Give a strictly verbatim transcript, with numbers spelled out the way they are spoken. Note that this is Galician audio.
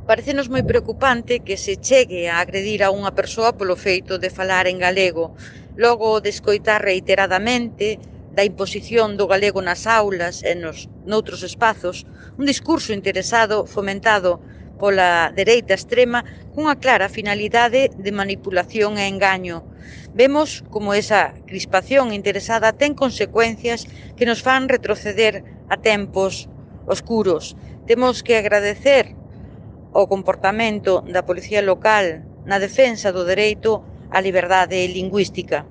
Parécenos moi preocupante que se chegue a agredir a unha persoa polo feito de falar en galego, logo de escoitar reiteradamente da imposición do galego nas aulas e nos noutros espazos, un discurso interesado fomentado pola dereita extrema cunha clara finalidade de manipulación e engaño. Vemos como esa crispación interesada ten consecuencias que nos fan retroceder a tempos oscuros. Temos que agradecer o comportamento da Policía Local na defensa do dereito á liberdade lingüística.